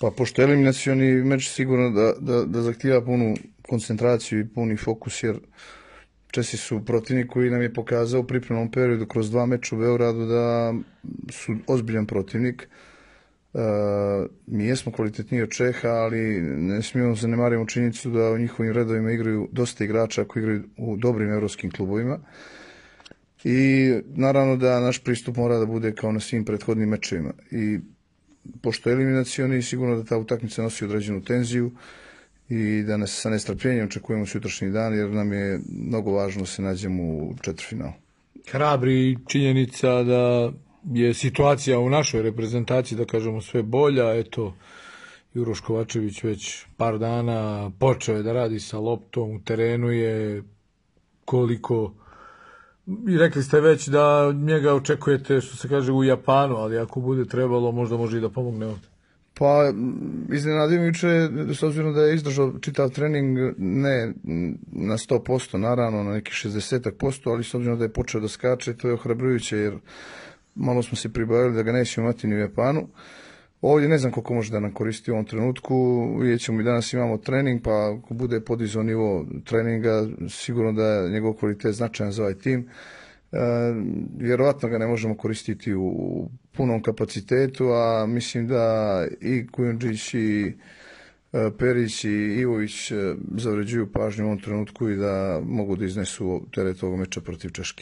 Pa pošto je eliminacioni meč sigurno da zahtijeva punu koncentraciju i puni fokus, jer Česi su protivnik koji nam je pokazao u pripremnom periodu kroz 2 meča u Beogradu da su ozbiljan protivnik. Mi jesmo kvalitetniji od Čeha, ali ne smijemo zanemariti činjenicu da u njihovim redovima igraju dosta igrača koji igraju u dobrim evropskim klubovima. I naravno da naš pristup mora da bude kao na svim prethodnim mečevima. I pošto je eliminacioni, sigurno da ta utakmica nosi određenu tenziju i da nas sa nestrpljenjem očekujemo sutrašnji dan, jer nam je mnogo važno da se nađemo u četvrtfinalu. Hrabri činjenica da je situacija u našoj reprezentaciji, da kažemo, sve bolja. Eto, Juroš Kovačević već par dana počeo je da radi sa loptom, u terenu je koliko... I rekli ste već da njega očekujete, što se kaže, u Japanu, ali ako bude trebalo, možda može i da pomogne ovdje. Pa, iznenadijuće, s obzirom da je izdržao čitav trening, ne na 100%, naravno, na nekih 60%, ali s obzirom da je počeo da skače, to je ohrabrujuće, jer malo smo se pribavili da ga nećemo imati ni u Japanu. Ovdje ne znam koliko može da nam koristi u ovom trenutku, vidjet ćemo, i danas imamo trening, pa ako bude podizao nivo treninga, sigurno da je njegov kvalitet značajan za ovaj tim. Vjerovatno ga ne možemo koristiti u punom kapacitetu, a mislim da i Kujundžić i Perić i Ivović zavređuju pažnju u ovom trenutku i da mogu da iznesu teret ovog meča protiv Češke.